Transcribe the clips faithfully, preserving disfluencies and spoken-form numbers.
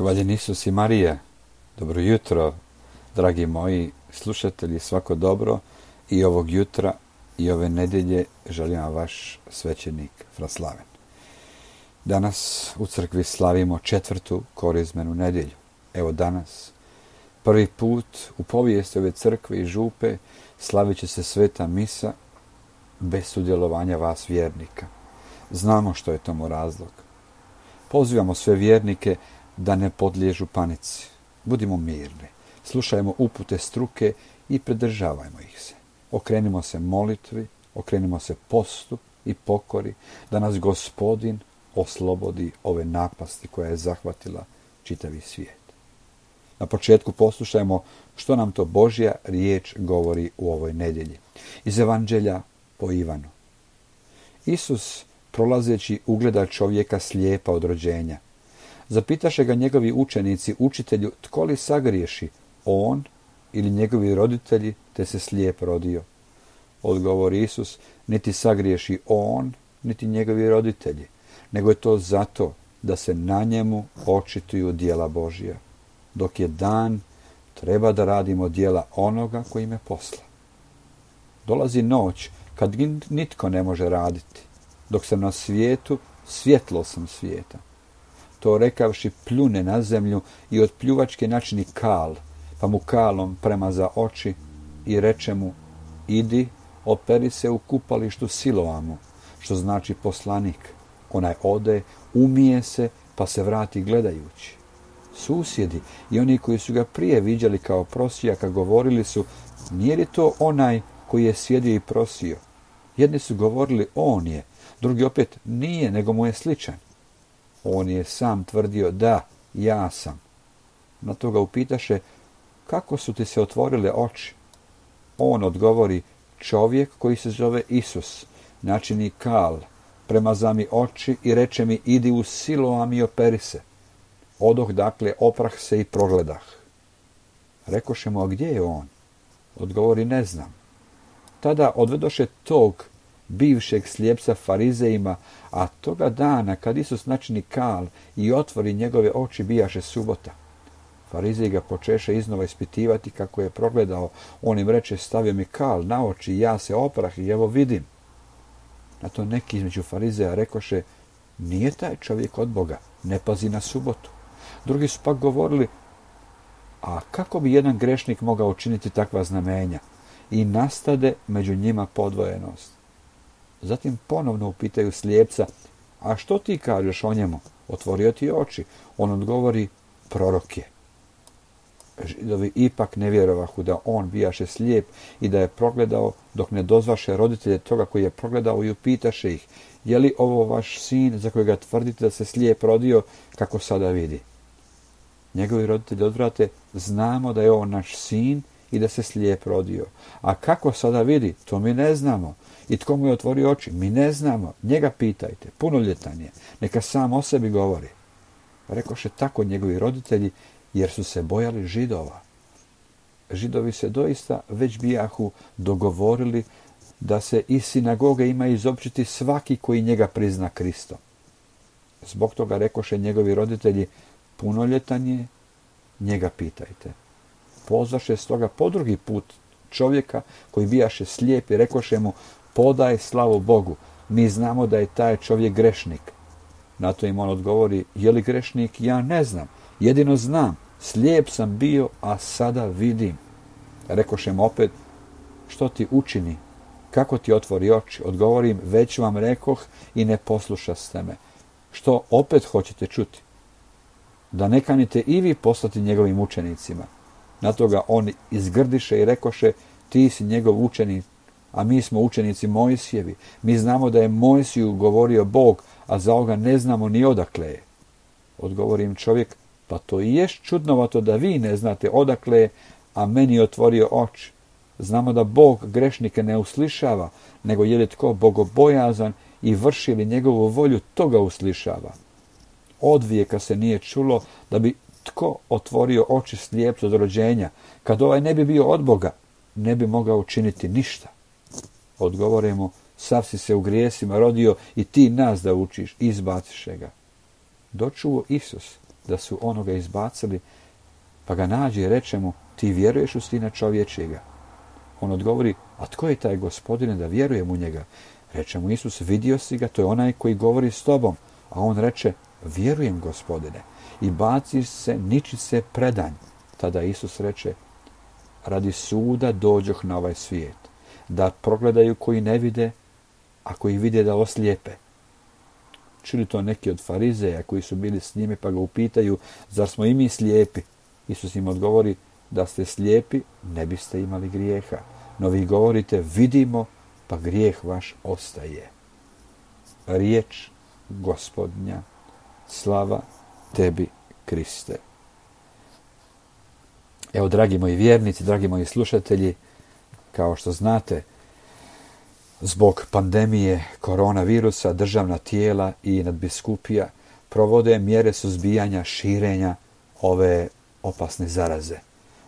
Hvaljen Isus i Marija, dobro jutro, dragi moji slušatelji, svako dobro i ovog jutra i ove nedjelje želim vam vaš svećenik Fraslaven. Danas u crkvi slavimo četvrtu korizmenu nedjelju. Evo danas, prvi put u povijesti ove crkve i župe slavit će se sveta misa bez sudjelovanja vas vjernika. Znamo što je tomu razlog. Pozivamo sve vjernike da ne podliježu panici. Budimo mirni, slušajmo upute struke i pridržavajmo ih se. Okrenimo se molitvi, okrenimo se postu i pokori, da nas Gospodin oslobodi ove napasti koja je zahvatila čitavi svijet. Na početku poslušajmo što nam to Božja riječ govori u ovoj nedjelji. Iz Evanđelja po Ivanu. Isus, prolazeći, ugleda čovjeka slijepa od rođenja. Zapitaše ga njegovi učenici: učitelju, tko li sagriješi, on ili njegovi roditelji, te se slijep rodio? Odgovori Isus: niti sagriješi on, niti njegovi roditelji, nego je to zato da se na njemu očituju djela Božja. Dok je dan, treba da radimo djela onoga koji me posla. Dolazi noć kad nitko ne može raditi. Dok sam na svijetu, svjetlo sam svijeta. To rekavši pljune na zemlju i od pljuvačke načini kal, pa mu kalom premaza oči i reče mu: idi, operi se u kupalištu Siloamu, što znači poslanik. Onaj ode, umije se, pa se vrati gledajući. Susjedi i oni koji su ga prije viđali kao prosijaka govorili su: nije li to onaj koji je sjedio i prosio? Jedni su govorili: on je, drugi opet: nije, nego mu je sličan. On je sam tvrdio: da, ja sam. Na to ga upitaše: kako su ti se otvorile oči? On odgovori: čovjek koji se zove Isus načini kal, premaza mi oči i reče mi: idi u Siloam i operi se. Odoh dakle, oprah se i progledah. Rekoše mu: a gdje je on? Odgovori: ne znam. Tada odvedoše tog bivšeg slijepca farizejima, a toga dana kad Isus načini kal i otvori njegove oči, bijaše subota. Farizeji ga počeše iznova ispitivati kako je progledao. On im reče: stavio mi kal na oči, ja se oprah i evo vidim. Na to neki između farizeja rekoše: nije taj čovjek od Boga, ne pazi na subotu. Drugi su pak govorili: a kako bi jedan grešnik mogao učiniti takva znamenja? I nastade među njima podvojenost. Zatim ponovno upitaju slijepca: a što ti kažeš o njemu? Otvorio ti oči. On odgovori: prorok je. Židovi ipak ne vjerovahu da on bijaše slijep i da je progledao, dok ne dozvaše roditelje toga koji je progledao i upitaše ih: je li ovo vaš sin za kojega tvrdite da se slijep rodio, kako sada vidi? Njegovi roditelji odvrate: znamo da je on naš sin i da se slijep rodio. A kako sada vidi, to mi ne znamo. I tko mu je otvorio oči, mi ne znamo. Njega pitajte, punoljetan je, neka sam o sebi govori. Rekoše tako njegovi roditelji, jer su se bojali Židova. Židovi se doista već bijahu dogovorili da se iz sinagoge ima izopćiti svaki koji njega prizna Kristom. Zbog toga rekoše njegovi roditelji: punoljetan je, njega pitajte. Pozvaše stoga po drugi put čovjeka koji bijaše slijep i rekoše mu: podaj slavu Bogu, mi znamo da je taj čovjek grešnik. Na to im on odgovori: je li grešnik? Ja ne znam, jedino znam, slijep sam bio, a sada vidim. Rekoše mu opet: što ti učini? Kako ti otvori oči? Odgovorim: već vam rekoh i ne poslušaste me. Što opet hoćete čuti? Da ne kanite i vi poslati njegovim učenicima. Na to ga oni izgrdiše i rekoše: ti si njegov učenik, a mi smo učenici Mojsijevi. Mi znamo da je Mojsiju govorio Bog, a za ovoga ne znamo ni odakle je. Odgovori im čovjek: pa to i jest čudnovato da vi ne znate odakle je, a meni je otvorio oči. Znamo da Bog grešnike ne uslišava, nego je li tko bogobojazan i vrši li njegovu volju, toga uslišava. Odvijeka se nije čulo da bi tko otvorio oči slijepcu od rođenja. Kad ovaj ne bi bio od Boga, ne bi mogao učiniti ništa. Odgovore mu: sav si se u grijesima rodio i ti nas da učiš, izbaciše ga. Dočuo Isus da su onoga izbacili, pa ga nađe i reče mu, ti vjeruješ u Sina čovječjega? On odgovori, a tko je taj Gospodine da vjerujem u njega? Reče mu Isus, vidio si ga, to je onaj koji govori s tobom. A on reče, vjerujem, Gospodine. I baci se, niči se predanj. Tada Isus reče, radi suda dođoh na ovaj svijet, da progledaju koji ne vide, a koji vide da oslijepe. Čuli to neki od farizeja koji su bili s njime, pa ga upitaju, zar smo i mi slijepi? Isus im odgovori, da ste slijepi, ne biste imali grijeha. No vi govorite, vidimo, pa grijeh vaš ostaje. Riječ Gospodnja, slava tebi, Kriste. Evo, dragi moji vjernici, dragi moji slušatelji, kao što znate, zbog pandemije koronavirusa državna tijela i nadbiskupija provode mjere suzbijanja širenja ove opasne zaraze.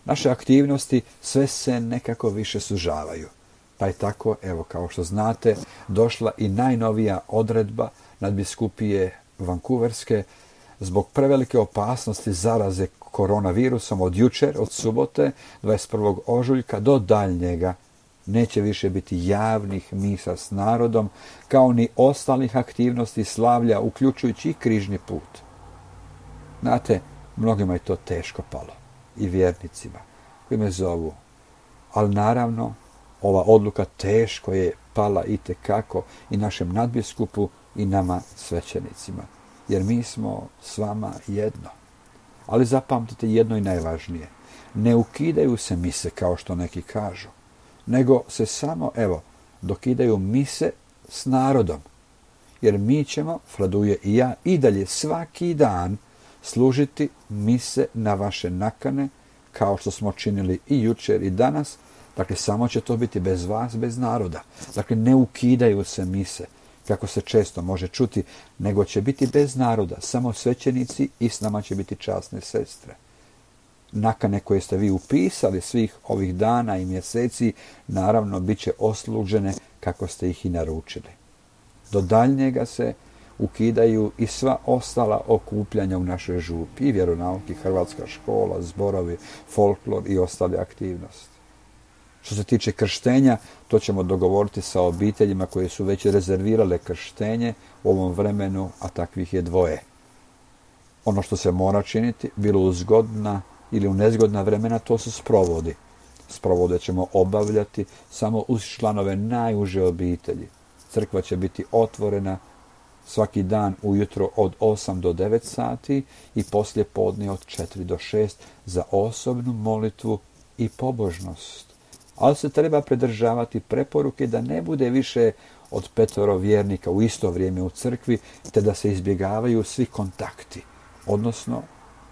Naše aktivnosti sve se nekako više sužavaju. Pa je tako, evo kao što znate, došla i najnovija odredba nadbiskupije Vancouverske zbog prevelike opasnosti zaraze koronavirusom od jučer, od subote, dvadeset prvog ožujka do daljnjega. Neće više biti javnih misa s narodom, kao ni ostalih aktivnosti slavlja, uključujući i križni put. Znate, mnogima je to teško palo, i vjernicima koji me zovu. Ali naravno, ova odluka teško je pala itekako i našem nadbiskupu i nama svećenicima, jer mi smo s vama jedno. Ali zapamtite jedno i najvažnije. Ne ukidaju se mise kao što neki kažu, nego se samo, evo, dokidaju mise s narodom. Jer mi ćemo, Fraduje i ja, i dalje svaki dan služiti mise na vaše nakane, kao što smo činili i jučer i danas. Dakle, samo će to biti bez vas, bez naroda. Dakle, ne ukidaju se mise, kako se često može čuti, nego će biti bez naroda, samo svećenici i s nama će biti časne sestre. Nakane koje ste vi upisali svih ovih dana i mjeseci, naravno, bit će oslužene kako ste ih i naručili. Do daljnjega se ukidaju i sva ostala okupljanja u našoj župi, i vjeronauk, i hrvatska škola, zborovi, folklor i ostale aktivnosti. Što se tiče krštenja, to ćemo dogovoriti sa obiteljima koje su već rezervirale krštenje u ovom vremenu, a takvih je dvoje. Ono što se mora činiti, bilo u zgodna ili u nezgodna vremena, to su sprovodi. Sprovode ćemo obavljati samo uz članove najuže obitelji. Crkva će biti otvorena svaki dan ujutro od osam do devet sati i poslije podne od četiri do šest za osobnu molitvu i pobožnost. Ali se treba pridržavati preporuke da ne bude više od petoro vjernika u isto vrijeme u crkvi, te da se izbjegavaju svi kontakti, odnosno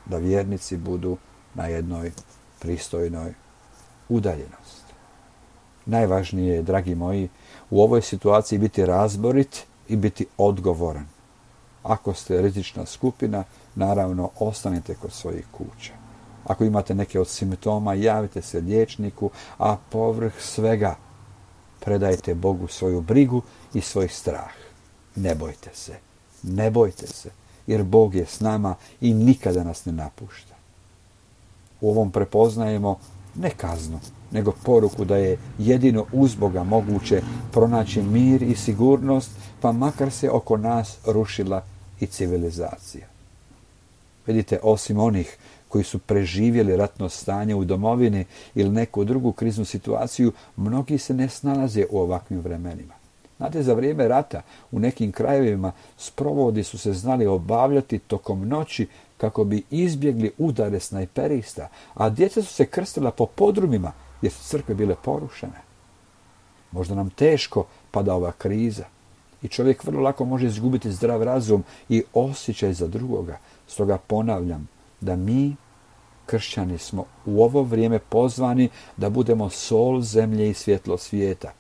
da vjernici budu na jednoj pristojnoj udaljenosti. Najvažnije je, dragi moji, u ovoj situaciji biti razborit i biti odgovoran. Ako ste rizična skupina, naravno, ostanite kod svojih kuća. Ako imate neke od simptoma, javite se liječniku, a povrh svega predajte Bogu svoju brigu i svoj strah. Ne bojte se, ne bojte se, jer Bog je s nama i nikada nas ne napušta. U ovom prepoznajemo ne kaznu, nego poruku da je jedino uz Boga moguće pronaći mir i sigurnost, pa makar se oko nas rušila i civilizacija. Vidite, osim onih koji su preživjeli ratno stanje u domovini ili neku drugu kriznu situaciju, mnogi se ne snalaze u ovakvim vremenima. Znate, za vrijeme rata u nekim krajevima sprovodi su se znali obavljati tokom noći kako bi izbjegli udare snajperista, a djeca su se krstila po podrumima jer su crkve bile porušene. Možda nam teško pada ova kriza i čovjek vrlo lako može izgubiti zdrav razum i osjećaj za drugoga. Stoga ponavljam da mi, kršćani, smo u ovo vrijeme pozvani da budemo sol zemlje i svjetlo svijeta,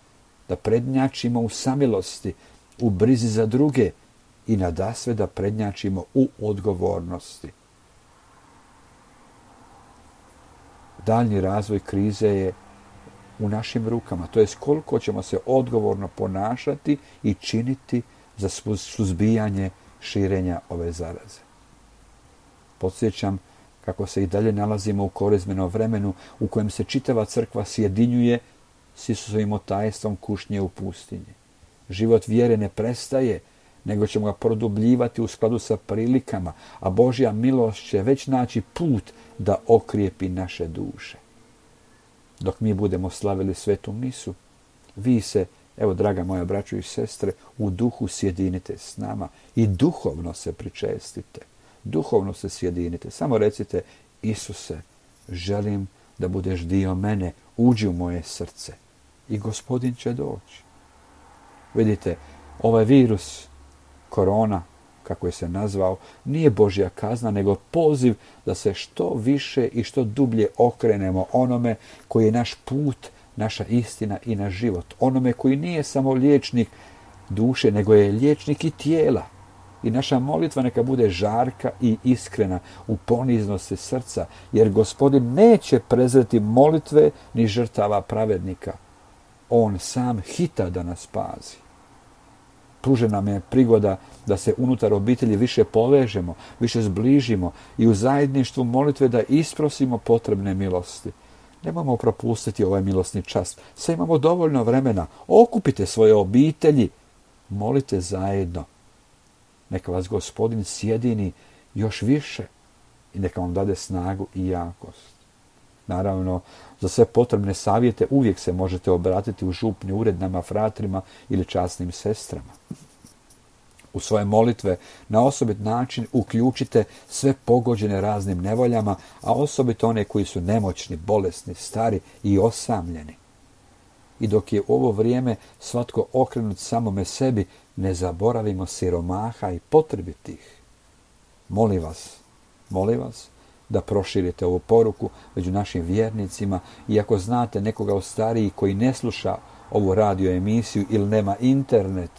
da prednjačimo u samilosti, u brizi za druge i nadasve da prednjačimo u odgovornosti. Daljnji razvoj krize je u našim rukama, to je koliko ćemo se odgovorno ponašati i činiti za suzbijanje širenja ove zaraze. Podsjećam kako se i dalje nalazimo u korizmenom vremenu u kojem se čitava crkva sjedinjuje s Isusovim otajstvom kušnje u pustinji. Život vjere ne prestaje, nego ćemo ga produbljivati u skladu sa prilikama, a Božja milost će već naći put da okrijepi naše duše. Dok mi budemo slavili svetu misu, vi se, evo draga moja braćo i sestre, u duhu sjedinite s nama i duhovno se pričestite. Duhovno se sjedinite. Samo recite: Isuse, želim da budeš dio mene, uđi u moje srce. I Gospodin će doći. Vidite, ovaj virus, korona, kako je se nazvao, nije Božja kazna, nego poziv da se što više i što dublje okrenemo onome koji je naš put, naša istina i naš život. Onome koji nije samo liječnik duše, nego je liječnik i tijela. I naša molitva neka bude žarka i iskrena u poniznosti srca, jer Gospodin neće prezreti molitve ni žrtava pravednika. On sam hita da nas pazi. Pružena nam je prigoda da se unutar obitelji više povežemo, više zbližimo i u zajedništvu molitve da isprosimo potrebne milosti. Nemojmo propustiti ovaj milosni čas. Sad imamo dovoljno vremena. Okupite svoje obitelji. Molite zajedno. Neka vas Gospodin sjedini još više i neka vam dade snagu i jakost. Naravno, za sve potrebne savjete uvijek se možete obratiti u župni ured nama fratrima ili časnim sestrama. U svoje molitve na osobit način uključite sve pogođene raznim nevoljama, a osobito one koji su nemoćni, bolesni, stari i osamljeni. I dok je u ovo vrijeme svatko okrenut samome sebi, ne zaboravimo siromaha i potrebitih. Molim vas, molim vas da proširite ovu poruku među našim vjernicima i ako znate nekoga od starijih koji ne sluša ovu radio emisiju ili nema internet,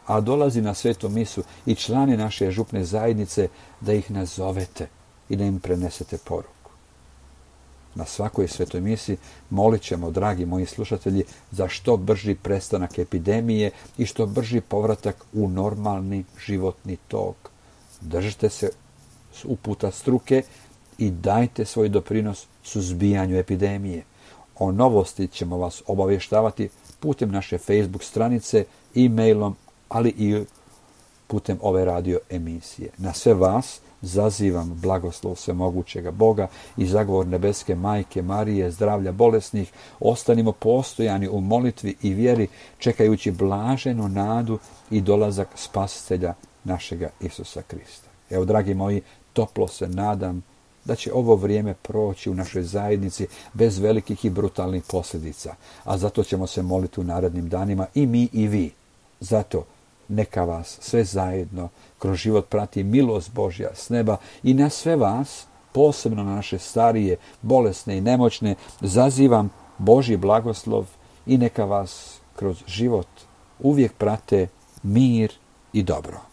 a dolazi na svetu misu i člani naše župne zajednice, da ih nazovete i da im prenesete poruku. Na svakoj svetoj misi molit ćemo, dragi moji slušatelji, za što brži prestanak epidemije i što brži povratak u normalni životni tok. Držite se uputa struke i dajte svoj doprinos suzbijanju epidemije. O novosti ćemo vas obavještavati putem naše Facebook stranice, e-mailom, ali i putem ove radio emisije. Na sve vas zazivam blagoslov svemogućega Boga i zagovor nebeske Majke Marije, zdravlja bolesnih. Ostanimo postojani u molitvi i vjeri, čekajući blaženu nadu i dolazak Spasitelja našega Isusa Krista. Evo, dragi moji, toplo se nadam da će ovo vrijeme proći u našoj zajednici bez velikih i brutalnih posljedica, a zato ćemo se moliti u narednim danima i mi i vi. Zato neka vas sve zajedno kroz život prati milost Božja s neba i na sve vas, posebno na naše starije, bolesne i nemoćne, zazivam Božji blagoslov i neka vas kroz život uvijek prate mir i dobro.